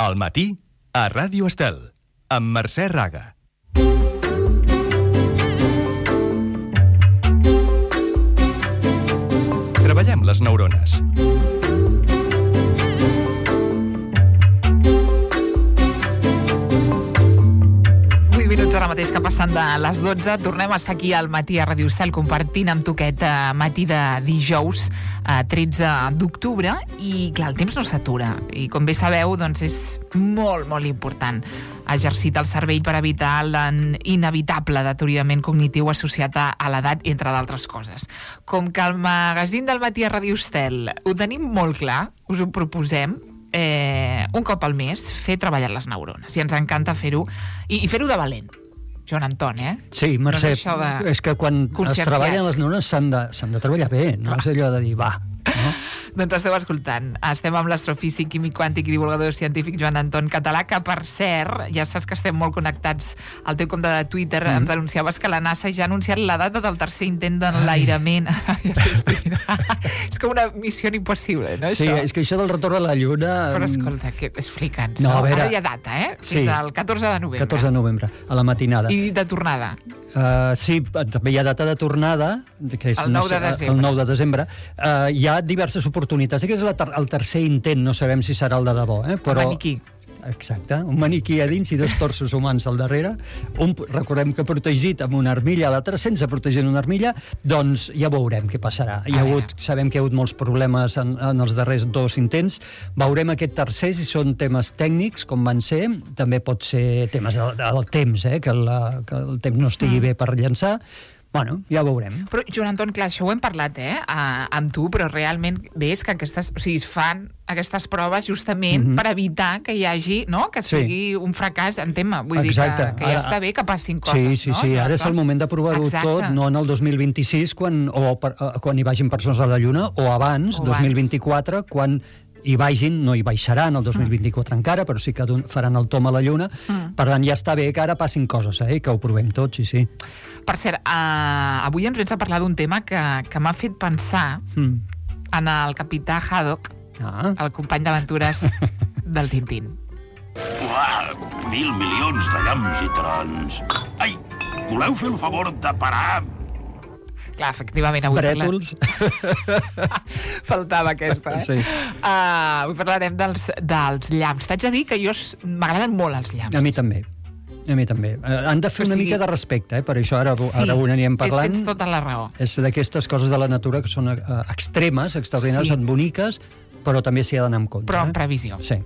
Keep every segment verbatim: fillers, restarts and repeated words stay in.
Al matí, a Ràdio Estel, amb Mercè Raga. Treballem les neurones. Ara mateix que passen de les dotze, tornem a estar aquí al matí a Ràdio Estel compartint amb tu aquest uh, matí de dijous uh, tretze d'octubre i clar, el temps no s'atura i com bé sabeu, doncs és molt, molt important exercitar el cervell per evitar l'inevitable deteriorament cognitiu associat a l'edat, entre d'altres coses. Com que el magazín del matí a Ràdio Estel ho tenim molt clar, us ho proposem, eh, un cop al mes fer treballar les neurones i ens encanta fer-ho i, i fer-ho de valent. Joan Anton, eh? Sí, Mercè, no és, de... és que quan es treballen les neurones s'han de, s'han de treballar bé, no Clar. És allò de dir, va, no? Doncs esteu escoltant. Estem amb l'astrofísic, químic quàntic i divulgador científic Joan Anton Català, que per cert, ja saps que estem molt connectats al teu compte de Twitter, mm. ens anunciaves que la NASA ja ha anunciat la data del tercer intent d'enlairament. És com una missió impossible, no? Sí, això? És que això del retorn a la Lluna... Però escolta, que explica'ns. No, a veure... Ara hi ha data, eh? Sí. Fins al catorze de novembre. catorze de novembre, a la matinada. I de tornada? Uh, sí, també hi ha data de tornada, que és el nou de desembre. El nou de desembre. Uh, hi ha diverses oportunitats. Aquest és la ter el tercer intent, no sabem si serà el de debò. Eh? Però... Un maniquí. Exacte, un maniquí a dins i dos torsos humans al darrere. Un, recordem que protegit amb una armilla, l'altre sense protegir una armilla, doncs ja veurem què passarà. Hi ha hagut, sabem que hi ha hagut molts problemes en, en els darrers dos intents. Veurem aquest tercer, si són temes tècnics, com van ser. També pot ser temes del, del temps, eh? que, la, que el temps no estigui mm. bé per llançar. Bueno, ja veurem. Però, Joan Anton, clar, això ho hem parlat, eh, a, amb tu, però realment ves que aquestes, o sigui, es fan aquestes proves justament mm-hmm. per evitar que hi hagi, no?, que sigui sí. un fracàs en tema. Vull Exacte. dir que, que ja ara, està bé que passin coses, sí, sí, no? Sí, sí, ara és el moment de provar-ho tot, no en el dos mil vint-i-sis, quan, o per, quan hi vagin persones a la Lluna, o abans, o dos mil vint-i-quatre, quan hi vagin, no hi baixaran el dos mil vint-i-quatre mm. encara, però sí que faran el tom a la Lluna. Mm. Per tant, ja està bé que ara passin coses, eh? Que ho provem tots, sí, sí. Per cert, uh, avui ens vens a parlar d'un tema que, que m'ha fet pensar mm. en el capità Haddock, ah. el company d'aventures del Tintín. Uah, mil milions de llamps i trons. Ai, voleu fer el favor de parar? Clar, efectivament, avui Brètols. parlem... Faltava aquesta, eh? Sí. Uh, avui parlarem dels, dels llamps. T'haig de dir que jo m'agraden molt els llamps. A mi també. A mi també. Uh, han de fer o una sigui, mica de respecte, eh? Per això ara, sí, ara ho anirem parlant. Tens tota la raó. És d'aquestes coses de la natura que són uh, extremes, extraordinàries, sí. són boniques, però també s'hi ha d'anar amb compte. Però amb eh? previsió. Sí.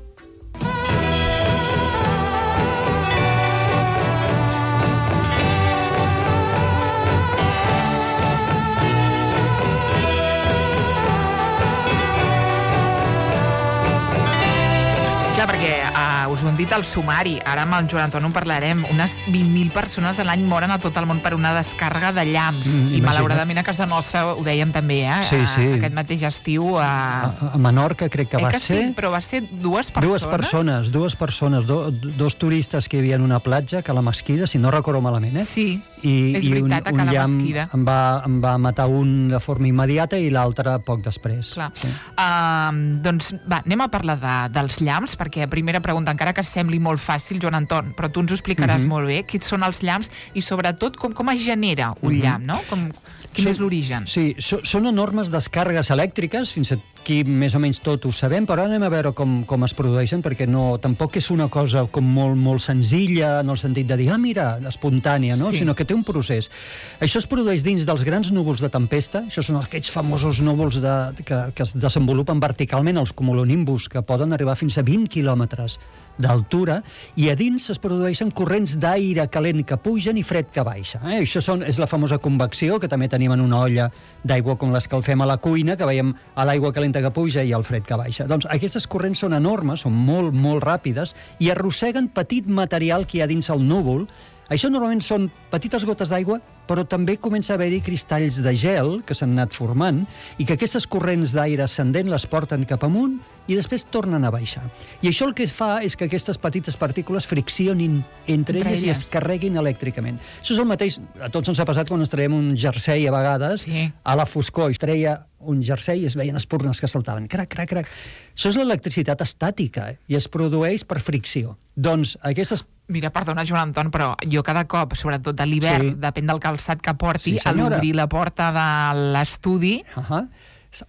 Clar, perquè uh, us ho hem dit al sumari, ara amb el Joan Anton en parlarem, unes vint mil persones a l'any moren a tot el món per una descàrrega de llamps, mm, i malauradament a casa nostra ho dèiem també, eh? Sí, sí. A, aquest mateix estiu a... A, a Menorca crec que eh va que ser... Sí, però va ser dues persones. Dues persones, dues persones, do, dos turistes que hi havia en una platja, que a la Mesquida, si no recordo malament, eh? Sí, I, és veritat, i un, a la llamp Mesquida. em va, em va matar un de forma immediata i l'altre poc després. Clar. Sí. Uh, doncs va, anem a parlar de, dels llamps, perquè primera pregunta, encara que sembli molt fàcil, Joan Anton, però tu ens ho explicaràs mm-hmm. molt bé, quins són els llamps i sobretot com, com es genera un mm-hmm. llamp, no? Com, quin són, és l'origen? Sí, so, són enormes descàrregues elèctriques, fins aquí més o menys tot ho sabem, però anem a veure com, com es produeixen, perquè no, tampoc és una cosa com molt, molt senzilla, en el sentit de dir, ah, mira, espontània, no? Sí. Sinó que té un procés. Això es produeix dins dels grans núvols de tempesta, això són aquells famosos núvols de, que, que es desenvolupen verticalment, els cumulonimbus, que poden arribar fins a vint quilòmetres d'altura, i a dins es produeixen corrents d'aire calent que pugen i fred que baixa. Eh? Això són, és la famosa convecció, que també tenim en una olla d'aigua com l'escalfem a la cuina, que veiem a l'aigua calenta que puja i el fred que baixa. Doncs aquestes corrents són enormes, són molt, molt ràpides, i arrosseguen petit material que hi ha dins el núvol, Això normalment són petites gotes d'aigua, però també comença a haver-hi cristalls de gel que s'han anat formant i que aquestes corrents d'aire ascendent les porten cap amunt i després tornen a baixar. I això el que fa és que aquestes petites partícules friccionin entre, Entre elles, elles. i es carreguin elèctricament. Això és el mateix, a tots ens ha passat quan ens traiem un jersei a vegades, Sí. a la foscor, es treia un jersei i es veien espurnes que saltaven. Crac, crac, crac. Això és l'electricitat estàtica eh? i es produeix per fricció. Doncs aquestes... Mira, perdona, Joan Anton, però jo cada cop, sobretot a l'hivern, Sí. depèn del calçat que porti, Sí, a senyora. l'obrir la porta de l'estudi, Uh -huh.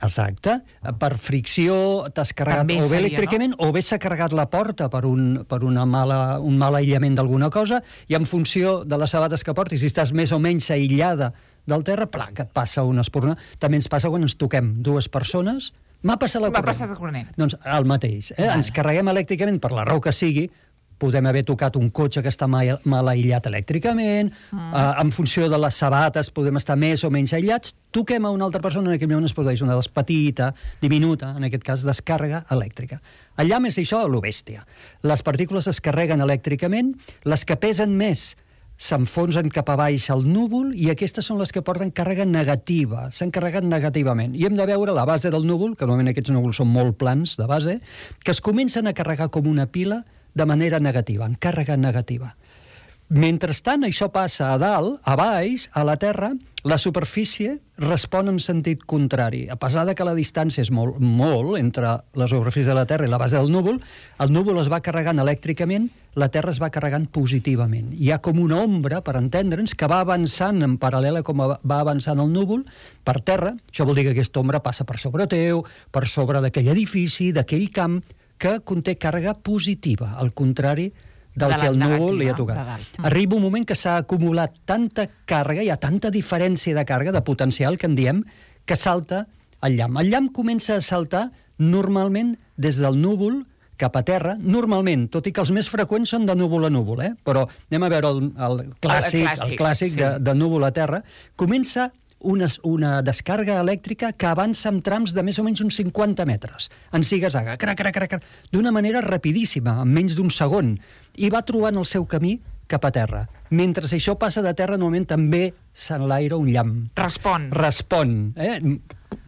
Exacte. Per fricció t'has carregat També o bé seria, elèctricament o bé s'ha carregat la porta per un, per una mala, un mal aïllament d'alguna cosa i en funció de les sabates que portis, si estàs més o menys aïllada del terra, pla, que et passa una espurna. També ens passa quan ens toquem dues persones. M'ha passat la M'ha corrent. passat el corrent. Doncs el mateix. Eh? Vale. Ens carreguem elèctricament per la raó que sigui, podem haver tocat un cotxe que està mal, mal aïllat elèctricament, mm. eh, en funció de les sabates podem estar més o menys aïllats, toquem a una altra persona, en aquell moment es produeix una petita, diminuta, en aquest cas, descàrrega elèctrica. El llamp és això, lo bèstia. Les partícules es carreguen elèctricament, les que pesen més s'enfonsen cap a baix al núvol i aquestes són les que porten càrrega negativa, s'han carregat negativament. I hem de veure la base del núvol, que normalment aquests núvols són molt plans de base, que es comencen a carregar com una pila de manera negativa, en càrrega negativa. Mentrestant, això passa a dalt, a baix, a la Terra, la superfície respon en sentit contrari. A pesar de que la distància és molt, molt entre la superfície de la Terra i la base del núvol, el núvol es va carregant elèctricament, la Terra es va carregant positivament. Hi ha com una ombra, per entendre'ns, que va avançant en paral·lela com va avançant el núvol per terra. Això vol dir que aquesta ombra passa per sobre teu, per sobre d'aquell edifici, d'aquell camp, que conté càrrega positiva, al contrari del De la que el núvol negativa, li ha de tocat. dalt. Mm. Arriba un moment que s'ha acumulat tanta càrrega, hi ha tanta diferència de càrrega, de potencial, que en diem, que salta el llamp. El llamp comença a saltar normalment des del núvol cap a terra, normalment, tot i que els més freqüents són de núvol a núvol, eh? Però anem a veure el, el clàssic, el clàssic, el clàssic sí. de, de núvol a terra, comença una, una descàrrega elèctrica que avança en trams de més o menys uns cinquanta metres, en ziga-zaga, crac, crac, crac, crac, d'una manera rapidíssima, en menys d'un segon, i va trobant el seu camí cap a terra. Mentre això passa de terra, normalment també s'enlaira un llamp. Respon. Respon. Eh?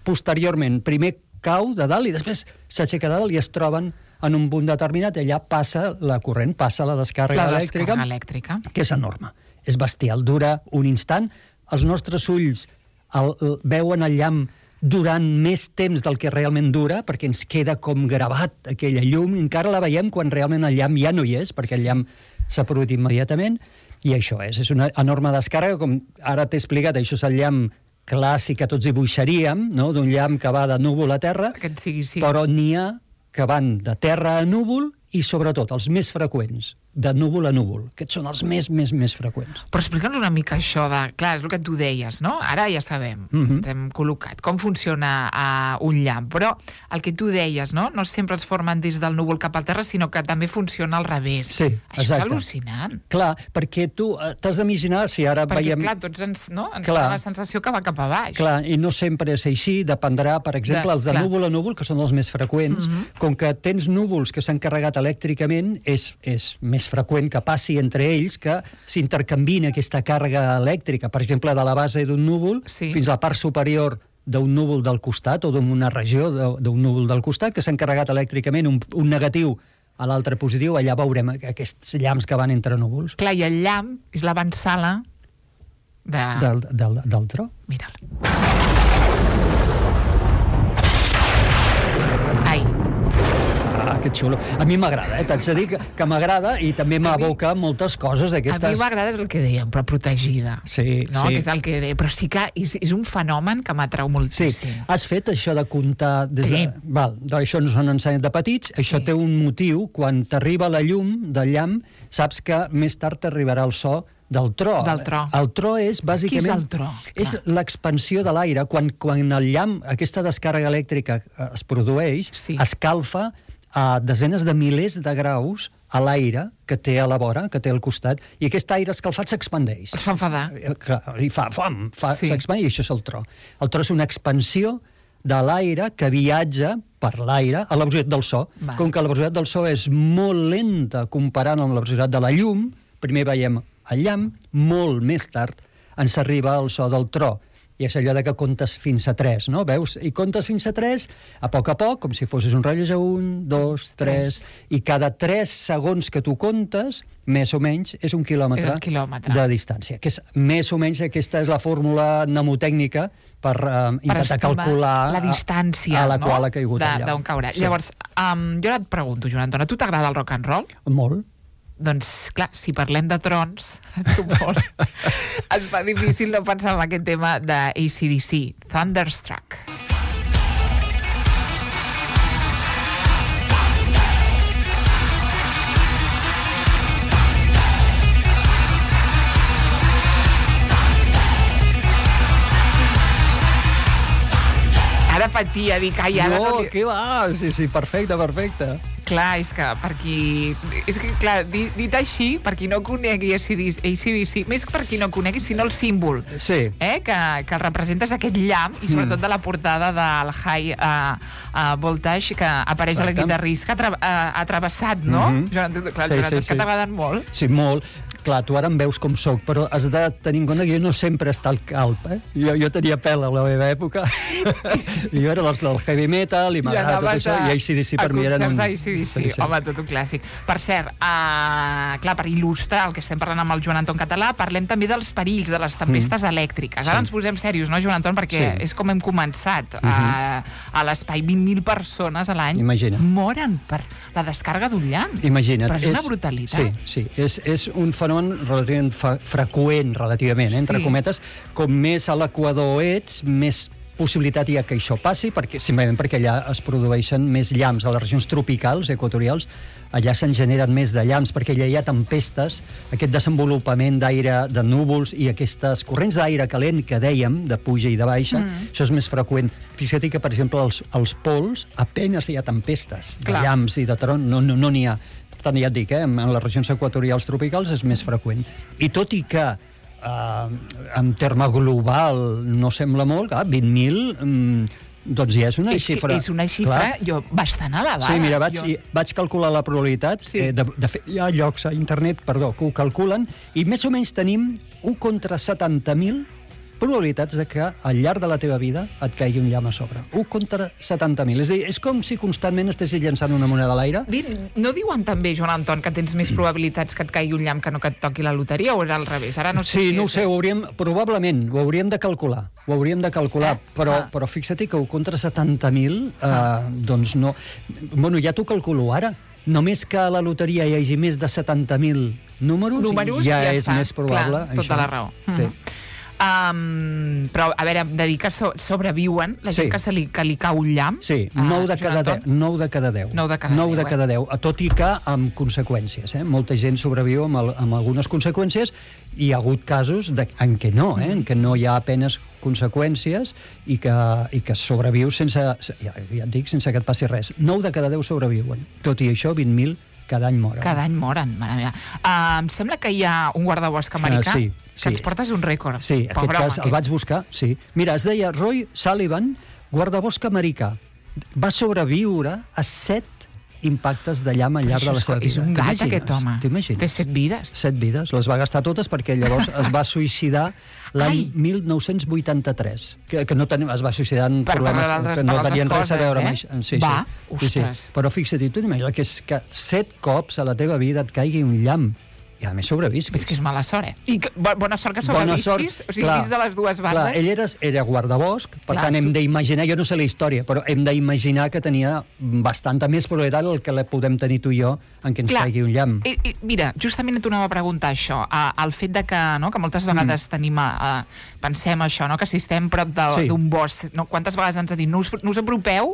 Posteriorment, primer cau de dalt i després s'aixeca de dalt i es troben en un punt determinat, allà passa la corrent, passa la descàrrega La elèctrica, descàrrega elèctrica. que és enorme. És bestial, dura un instant. Els nostres ulls el, el, veuen el llamp durant més temps del que realment dura, perquè ens queda com gravat aquella llum, i encara la veiem quan realment el llamp ja no hi és, perquè el llamp s'ha produït immediatament, i això és, és una enorme descàrrega, com ara t'he explicat, això és el llamp clàssic que tots dibuixaríem, no? D'un llamp que va de núvol a terra, Aquest sigui, sí. però n'hi ha que van de terra a núvol i, sobretot, els més freqüents, de núvol a núvol. Aquests són els més, més, més freqüents. Però explica'ns una mica això de... Clar, és el que tu deies, no? Ara ja sabem, Mhm. ens hem col·locat, com funciona uh, un llamp. Però el que tu deies, no? No sempre es formen des del núvol cap a terra, sinó que també funciona al revés. Sí, Això exacte. és al·lucinant. Clar, perquè tu eh, t'has d'imaginar, si ara Perquè, veiem... clar, tots ens, no? ens Clar. fa la sensació que va cap a baix. Clar, i no sempre és així, dependrà, per exemple, De- els de clar. núvol a núvol, que són els més freqüents, Mhm. com que tens núvols que s'han carregat elèctricament, és, és més freqüent que passi entre ells que s'intercanvien aquesta càrrega elèctrica, per exemple, de la base d'un núvol Sí. fins a la part superior d'un núvol del costat o d'una regió de- d'un núvol del costat, que s'han carregat elèctricament un, un negatiu a l'altre positiu, allà veurem aquests llamps que van entre núvols. Clar, i el llamp és l'avançala de... Del, del, del tro. Mira'l. Ai, Ah, que xulo. A mi m'agrada, eh? T'haig de dir que, que m'agrada i també m'aboca moltes coses a d'aquestes... mi m'agrada el que dèiem, però protegida. Sí, no? sí. Que és el que deia. Però sí que és, és un fenomen que m'atrau Sí, moltíssim. has fet això de comptar... Des Sí. de... Val, això ens ho han ensenyat de petits, això Sí. té un motiu, quan t'arriba la llum del llamp, saps que més tard t'arribarà el so del tro. Del tro. El tro és, bàsicament... Què és el tro? És Clar. l'expansió de l'aire. Quan, quan el llamp, aquesta descàrrega elèctrica eh, es produeix, Sí. escalfa a desenes de milers de graus a l'aire que té a la vora, que té al costat, i aquest aire escalfat s'expandeix. Es fa enfadar. Eh, clar, i fa fam, fa, Sí. s'expandeix, i això és el tro. El tro és una expansió de l'aire que viatja per l'aire a la velocitat del so. Val. Com que la velocitat del so és molt lenta comparant amb la velocitat de la llum, primer veiem el llamp, molt més tard ens arriba el so del tro. I és allò de que comptes fins a tres, no? Veus? I comptes fins a tres, a poc a poc, com si fossis un rellotge, un, dos, tres, i cada tres segons que tu comptes, més o menys, és un quilòmetre, és un quilòmetre. de distància. Que és, més o menys, aquesta és la fórmula mnemotècnica per uh, intentar calcular la distància, a, a la no? qual ha caigut de, el llamp. d'on caurà. Sí. Llavors, um, jo ara et pregunto, Joan Anton, a tu t'agrada el rock and roll? Molt. Doncs, clar, si parlem de trons, molt, es fa difícil no pensar en aquest tema de A C D C, Thunderstruck. Ara patia, dic, ai, ara no... No, No, què va? Sí, sí, perfecte, perfecte. Clar, és que per qui... És que, clar, dit, dit així, per qui no conegui A C D C, més per qui no conegui, sinó el símbol, sí. eh, que, que el representa és aquest llamp, i sobretot mm. de la portada del High uh, uh, Voltage, que apareix Exacte. a la guitarrista, que ha, tra uh, ha travessat, no? Mm -hmm. Joan, clar, sí, sí, sí. que t'agraden molt. Sí, molt. Clar, tu ara em veus com soc, però has de tenir en compte que jo no sempre està al calp, eh? Jo, jo tenia pèl a la meva època, i jo era dels del heavy metal, i m'agrada tot això, i A C D C per mi eren un... A concerts d'A C D C, sí, sí. Home, tot un clàssic. Per cert, uh, clar, per il·lustrar el que estem parlant amb el Joan Anton Català, parlem també dels perills, de les tempestes mm. elèctriques. Ara sí. ens posem serios, no, Joan Anton? Perquè sí. és com hem començat. Uh, uh, a l'espai, vint mil persones a l'any moren per la descàrrega d'un llamp. Imagina't. Però és, és una brutalitat. Sí, sí. És, és un fenomen relativament freqüent, relativament, eh, entre sí. cometes. Com més a l'equador ets, més possibilitat hi ha que això passi, perquè, simplement perquè allà es produeixen més llamps. A les regions tropicals, equatorials, allà se'n generen més de llamps, perquè allà hi ha tempestes, aquest desenvolupament d'aire, de núvols, i aquestes corrents d'aire calent que dèiem, de puja i de baixa, mm. això és més freqüent. Fixa't que, per exemple, als, als pols apenes hi ha tempestes de Clar. llamps i de tron, no n'hi no, no ha. Per tant, ja et dic, eh, en les regions equatorials tropicals és més freqüent. I tot i que Uh, en terme global no sembla molt, clar, vint mil um, doncs ja és una és xifra... És una xifra jo, bastant elevada. Sí, mira, vaig, jo... vaig calcular la probabilitat, sí. eh, de, de fet, hi ha llocs a internet, perdó, que ho calculen, i més o menys tenim un contra setanta mil probabilitats de que al llarg de la teva vida et caigui un llamp a sobre. un contra setanta mil. És a dir, és com si constantment estessis llançant una moneda a l'aire. No diuen també, Joan Anton, que tens més probabilitats que et caigui un llamp que no que et toqui la loteria, o és al revés? Ara no sé sí, si no ho és... sé, ho hauríem, probablement, ho hauríem de calcular. Ho hauríem de calcular, eh? però, ah. però fixa't que un contra setanta mil, eh, ah. doncs no... Bueno, ja t'ho calculo ara. Només que a la loteria hi hagi més de setanta mil números, números ja, ja és està. més probable. Clar, tota això. la raó. Sí. Mm-hmm. Um, però, a veure, de dir que so, sobreviuen la gent sí. que, se li, que li cau un llamp. Sí, nou de cada deu. nou de cada deu. nou de cada deu, de cada deu, tot i que amb conseqüències. Eh? Molta gent sobreviu amb, el, amb algunes conseqüències, i hi ha hagut casos de, en què no, eh? en què no hi ha apenes conseqüències i que, i que sobreviu sense, ja, ja et dic, sense que et passi res. nou de cada deu sobreviuen. Tot i això, vint mil cada any moren. Cada any moren, mare meva. Uh, em sembla que hi ha un guardabosc americà uh, sí, que sí. ens portes un rècord. Sí, en aquest cas el vaig buscar, sí. Mira, es deia Roy Sullivan, guardabosc americà. Va sobreviure a set impactes de llamp al llarg de la seva vida. És un gat, aquest home. T'imagines? Té set vides. Set vides. Les va gastar totes perquè llavors es va suïcidar l'any mil nou-cents vuitanta-tres. Que, que no ten... es va suïcidar en per problemes per que no tenien coses, res a veure eh? amb això. Sí, va, sí. Sí, sí. Però fixa't, tu n'imagines que, és que set cops a la teva vida et caigui un llamp. I a més sobrevisquis. És que és mala sort, eh? I que, bona sort que sobrevisquis, o sigui, clar, dins de les dues bandes. Clar, ell era, era guardabosc, per clar, tant hem d'imaginar, jo no sé la història, però hem d'imaginar que tenia bastanta més probabilitat el que la podem tenir tu i jo en què ens clar, caigui un llamp. I, i, mira, justament et tornava a preguntar això, a, el fet de que, no, que moltes vegades mm. tenim, a, a, pensem això, no, que si estem prop d'un sí. bosc, no, quantes vegades ens ha dit, no us, no us apropeu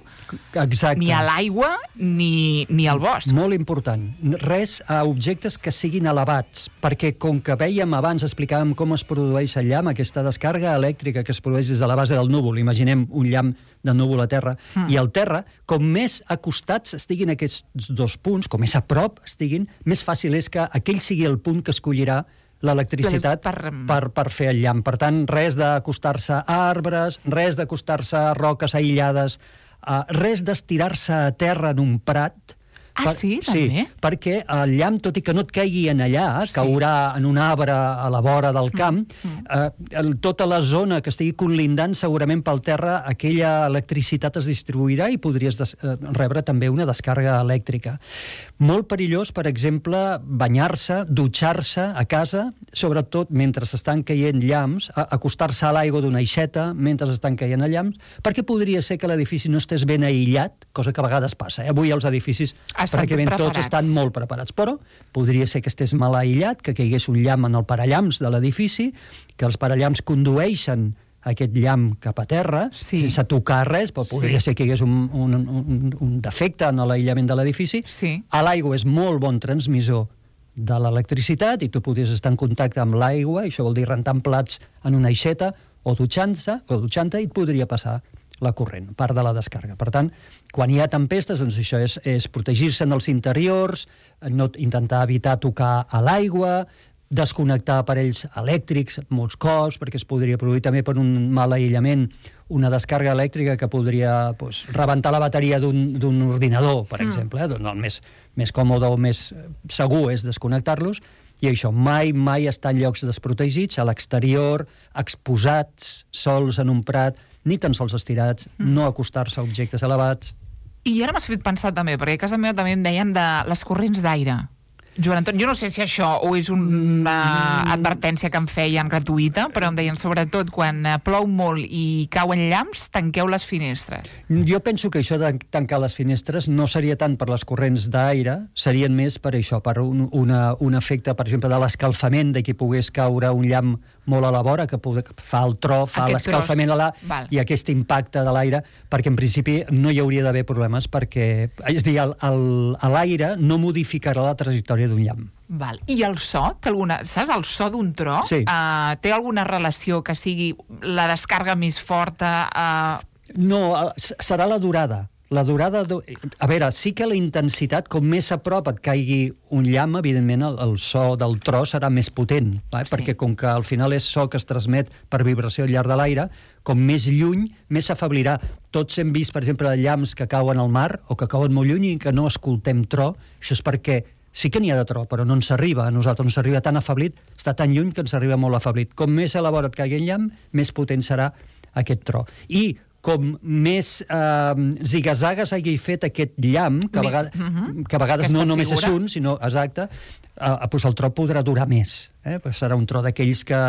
Exacte. ni a l'aigua ni, ni al bosc. Molt important. Res a objectes que siguin elevats, perquè com que vèiem abans, explicàvem com es produeix el llamp, aquesta descàrrega elèctrica que es produeix des de la base del núvol, imaginem un llamp de núvol a terra, mm. i al terra, com més acostats estiguin aquests dos punts, com més a prop estiguin, més fàcil és que aquell sigui el punt que escollirà l'electricitat per... Per, per fer el llamp. Per tant, res d'acostar-se a arbres, res d'acostar-se a roques aïllades, uh, res d'estirar-se a terra en un prat, Ah, sí? També? Sí, perquè el llamp, tot i que no et caigui en allà, sí. caurà en un arbre a la vora del camp, mm. eh, el, tota la zona que estigui conlindant, segurament pel terra, aquella electricitat es distribuirà i podries des, eh, rebre també una descàrrega elèctrica. Molt perillós, per exemple, banyar-se, dutxar-se a casa, sobretot mentre s'estan caient llamps, acostar-se a l'aigua d'una aixeta mentre estan caient llamps, perquè podria ser que l'edifici no estés ben aïllat, cosa que a vegades passa. Eh? Avui els edificis estan pràcticament preparats. Tots estan molt preparats, però podria ser que estés mal aïllat, que caigués un llamp en el parallamps de l'edifici, que els parallamps condueixen aquest llamp cap a terra, sí. sense tocar res, però podria sí. ser que hi hagués un, un, un, un defecte en l'aïllament de l'edifici. Sí. A l'aigua és molt bon transmissor de l'electricitat i tu podries estar en contacte amb l'aigua, i això vol dir rentant plats en una aixeta o dutxant-se, o dutxant-te, i et podria passar la corrent, part de la descàrrega. Per tant, quan hi ha tempestes, doncs això és, és protegir-se en els interiors, no, intentar evitar tocar a l'aigua, desconnectar aparells elèctrics, molts cops, perquè es podria produir també per un mal aïllament una descàrrega elèctrica que podria pues, rebentar la bateria d'un ordinador, per mm. exemple. Eh? Doncs el més, més còmode o més segur és desconnectar-los, i això, mai, mai estar en llocs desprotegits, a l'exterior, exposats, sols en un prat, ni tan sols estirats, mm. no acostar-se a objectes elevats. I ara m'has fet pensar també, perquè a casa meva també em deien de les corrents d'aire. Joan Anton, jo no sé si això o és una advertència que em feien gratuïta, però em deien sobretot quan plou molt i cauen llamps, tanqueu les finestres. Jo penso que això de tancar les finestres no seria tant per les corrents d'aire, serien més per això, per un, una, un efecte, per exemple, de l'escalfament, de que pogués caure un llamp molt a la vora, que fa el tro, fa l'escalfament a la... i aquest impacte de l'aire, perquè en principi no hi hauria d'haver problemes, perquè, és a dir, l'aire no modificarà la trajectòria d'un llamp. Val. I el so? Té alguna, saps, el so d'un tro? Sí. Uh, té alguna relació que sigui la descàrrega més forta? Uh... No, serà la durada. La durada... A veure, sí que la intensitat, com més a prop et caigui un llamp, evidentment el, el so del tro serà més potent, eh? Sí. Perquè com que al final és so que es transmet per vibració al llarg de l'aire, com més lluny, més s'afeblirà. Tots hem vist, per exemple, llamps que cauen al mar o que cauen molt lluny i que no escoltem tro. Això és perquè sí que n'hi ha de tro, però no ens arriba. A nosaltres ens arriba tan afeblit, està tan lluny que ens arriba molt afeblit. Com més a la vora et caigui el llamp, més potent serà aquest tro. I com més eh, zigazagues hagi fet aquest llamp, que a vegades, uh-huh. que a vegades no només és un, sinó, exacte, eh, doncs el tro podrà durar més. Eh? Pues serà un tro d'aquells que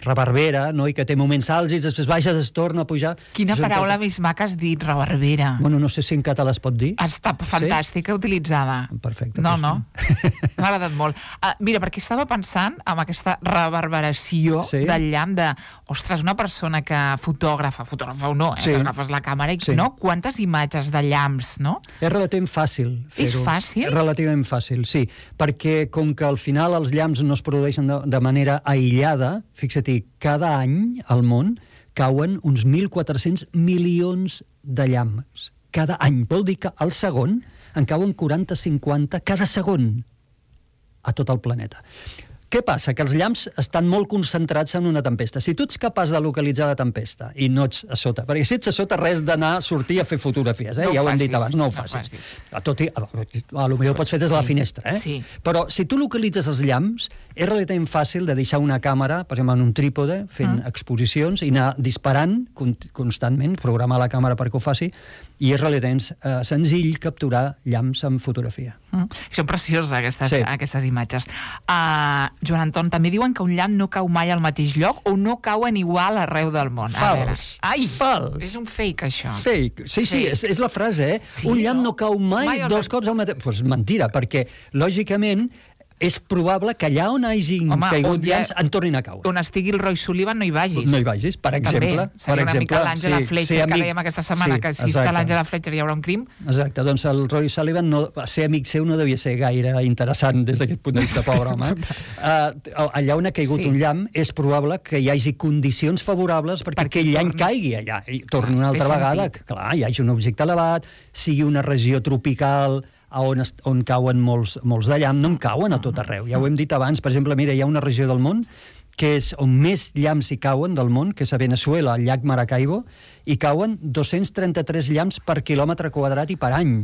reverbera, no? I que té moments àlgids, després baixa, es torna a pujar. Quina paraula tot... més maca has dit, reverbera. Bueno, no sé si en català es pot dir. Està fantàstica, sí? Utilitzada. Perfecte. No, pues... no, m'ha agradat molt. Uh, mira, perquè estava pensant en aquesta reverberació sí? del llamp de, ostres, una persona que fotògrafa, fotògrafa o no, eh? Sí. Que agafes la càmera i sí. no? Quantes imatges de llamps, no? És relativament fàcil fer-ho. És fàcil? És relativament fàcil, sí. Perquè com que al final els llamps no es produeixen de, de manera aïllada, fixa't, cada any al món cauen uns mil quatre-cents milions de llamps. Cada any. Vol dir que al segon en cauen quaranta cinquanta cada segon a tot el planeta. Què passa? Que els llamps estan molt concentrats en una tempesta. Si tu ets capaç de localitzar la tempesta i no ets a sota, perquè si ets a sota res d'anar a sortir a fer fotografies, eh? no ja ho hem dit abans, no ho facis. No Tot i, a, a lo millor ho pots fer des de la finestra, eh? Sí. Però si tu localitzes els llamps, és relativament fàcil de deixar una càmera, per exemple, en un trípode, fent mm. exposicions, i anar disparant constantment, programar la càmera perquè ho faci, i és relativament eh, senzill capturar llamps amb fotografia. Mm. Són precioses aquestes, sí. aquestes imatges. Uh, Joan Anton, també diuen que un llamp no cau mai al mateix lloc o no cauen igual arreu del món. Fals. Ai, fals. És un fake, això. Fake. Sí, sí, fake. És, és la frase, eh? Sí, un llamp no, no cau mai, mai dos cops al mateix... Doncs pues mentira, perquè, lògicament, és probable que allà on hagin Home, caigut llamps en tornin a caure. On estigui el Roy Sullivan no hi vagis. No hi vagis, per exemple. També, seria una mica l'Àngela sí, Fletcher, sí, que dèiem aquesta setmana, sí, que si exacte. Està l'Àngela Fletcher hi haurà un crim. Exacte, doncs el Roy Sullivan, no, ser amic seu no devia ser gaire interessant des d'aquest punt de vista, pobre home. uh, allà on ha caigut sí. un llamp, és probable que hi hagi condicions favorables perquè, perquè aquell llamp caigui allà. I torni ah, una altra vegada, sentit. Clar, hi hagi un objecte elevat, sigui una regió tropical... On, on cauen molts, molts de llamp, no en cauen a tot arreu. Ja ho hem dit abans, per exemple, mira, hi ha una regió del món que és on més llamps hi cauen del món, que és a Venezuela, al llac Maracaibo, i cauen dos-cents trenta-tres llamps per quilòmetre quadrat i per any.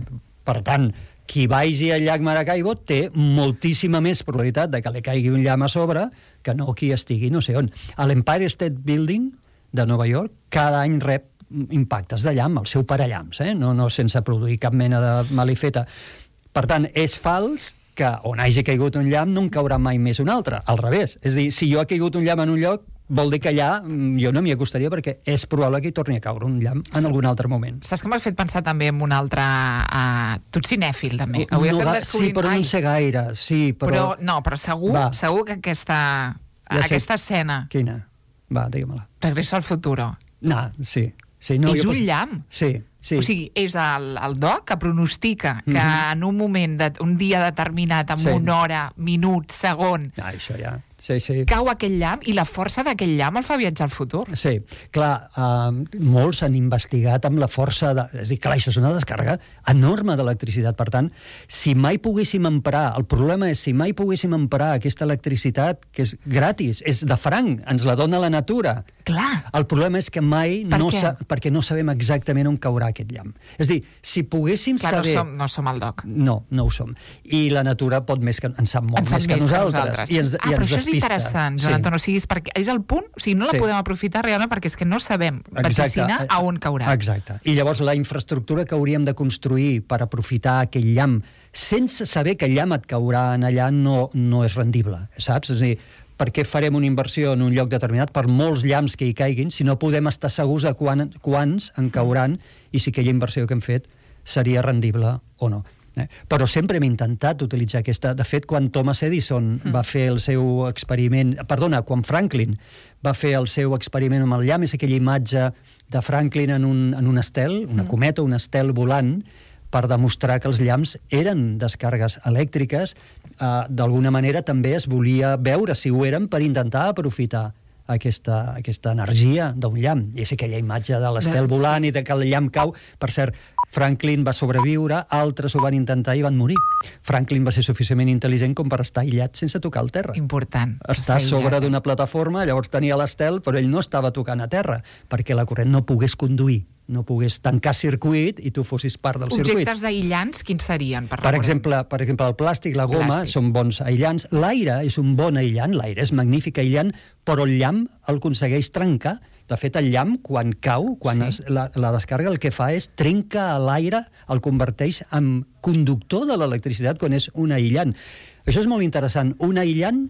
Per tant, qui vagi al llac Maracaibo té moltíssima més probabilitat de que li caigui un llamp a sobre que no qui estigui no sé on. A l'Empire State Building de Nova York cada any rep impactes de llamp, el seu parallamps, eh? no, no sense produir cap mena de malifeta. Per tant, és fals que on hagi caigut un llamp no en caurà mai més un altre, al revés. És a dir, si jo ha caigut un llamp en un lloc, vol dir que allà jo no m'hi acostaria perquè és probable que hi torni a caure un llamp en algun altre moment. Saps que m'has fet pensar també en un altre... Uh, tu ets cinèfil, també. Avui no, estem va, descobrint... sí, però Ai, no en sé gaire. Sí, però... però... No, però segur, Va. segur que aquesta, Ja sé. aquesta escena... Quina? Va, digue-me-la. Regreso al futuro. No, sí. sí no, És jo un pos... llamp. Sí, sí. O sigui, és el, el doc que pronostica que Mhm. en un moment, de, un dia determinat, en Sí. una hora, minut, segon, Ah, això ja... Sí, sí. cau aquell llamp i la força d'aquell llamp el fa viatjar al futur. Sí, clar, eh, molts han investigat amb la força... De... És a dir, clar, això és una descàrrega enorme d'electricitat. Per tant, si mai poguéssim emprar... El problema és si mai poguéssim emprar aquesta electricitat, que és gratis, és de franc, ens la dona la natura. Clar. El problema és que mai Per no què? sa... perquè no sabem exactament on caurà aquest llamp. És a dir, si poguéssim Clar, saber... no som, no som el doc. No, no ho som. I la natura pot més que en sap molt En sap més que nosaltres. I ens, ah, i però ens això és despista. interessant, Joan Sí. Anton. O sigui, és, perquè, és el punt, o sigui, no la Sí. podem aprofitar realment perquè és que no sabem vaticinar a on caurà. Exacte. I llavors la infraestructura que hauríem de construir per aprofitar aquell llamp sense saber que el llamp et caurà en allà no, no és rendible, saps? És a dir, per què farem una inversió en un lloc determinat per molts llamps que hi caiguin si no podem estar segurs de quan, quants en cauran i si aquella inversió que hem fet seria rendible o no. Eh? Però sempre hem intentat utilitzar aquesta... De fet, quan Thomas Edison mm. va fer el seu experiment... Perdona, quan Franklin va fer el seu experiment amb el llamp, és aquella imatge de Franklin en un, en un estel, una mm. cometa, un estel volant, per demostrar que els llamps eren descàrregues elèctriques. Eh, D'alguna manera també es volia veure si ho eren per intentar aprofitar aquesta, aquesta energia d'un llamp. I és aquella imatge de l'estel volant i de que el llamp cau. Per cert, Franklin va sobreviure, altres ho van intentar i van morir. Franklin va ser suficientment intel·ligent com per estar aïllat sense tocar el terra. Important. Està a sobre d'una plataforma, llavors tenia l'estel, però ell no estava tocant a terra, perquè la corrent no pogués conduir, no pogués tancar circuit i tu fossis part del circuit. Objectes aïllants, quins serien? Per, Per exemple, per exemple, el plàstic, la goma, Plàstic. són bons aïllants. L'aire és un bon aïllant, l'aire és magnífic aïllant, però el llamp el aconsegueix trencar. De fet, el llamp, quan cau, quan Sí. es, la, la descàrrega, el que fa és trenca l'aire, el converteix en conductor de l'electricitat quan és un aïllant. Això és molt interessant. Un aïllant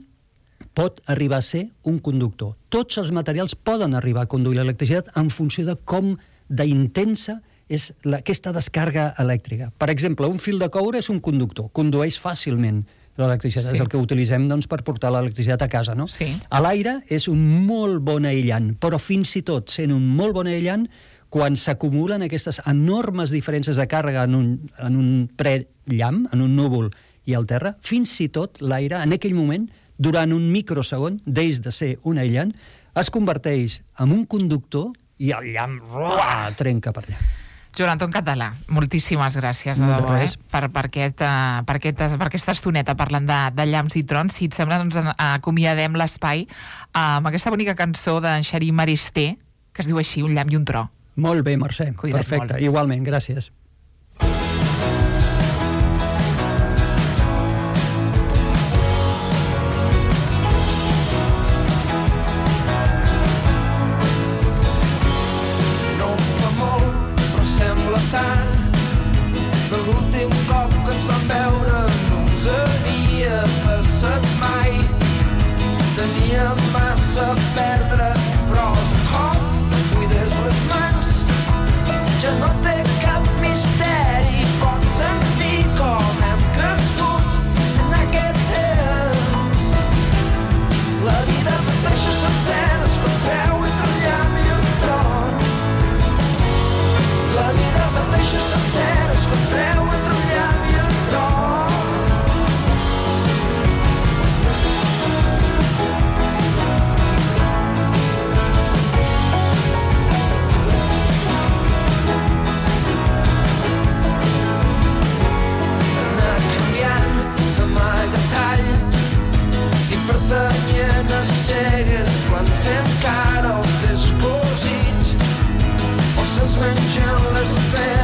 pot arribar a ser un conductor. Tots els materials poden arribar a conduir l'electricitat en funció de com d'intensa és la, aquesta descàrrega elèctrica. Per exemple, un fil de coure és un conductor, condueix fàcilment l'electricitat, Sí. és el que utilitzem doncs, per portar l'electricitat a casa, no? Sí. A l'aire és un molt bon aïllant, però fins i tot sent un molt bon aïllant, quan s'acumulen aquestes enormes diferències de càrrega en un, en un prellamp, en un núvol i al terra, fins i tot l'aire, en aquell moment, durant un microsegon, deix de ser un aïllant, es converteix en un conductor i el llamp ruah, trenca per allà. Joan Anton Català, moltíssimes gràcies, de No, de debò, eh? res. per, per, aquest, uh, per, aquest, per aquesta estoneta parlant de, de llamps i trons. Si et sembla, doncs en- acomiadem l'espai uh, amb aquesta bonica cançó d'en Xarí Maristé, que es diu així, Un llamp i un tro. Molt bé, Mercè. Cuida't Perfecte. molt. Igualment, gràcies. No fa molt, però sembla tant que l'últim cop que ens vam veure no ens havia passat mai. Teníem massa a perdre, però de cop cuides les mans. Ja no té cap misteri, pots sentir com hem crescut en aquest temps. La vida mateixa sencera es contreu entre un llamp i un tron. La vida mateixa sencera es contreu entre un llamp i un tron. Anar canviant de magatall i pertanyent a cegues plantem cara als descosits o se'ns mengen les peres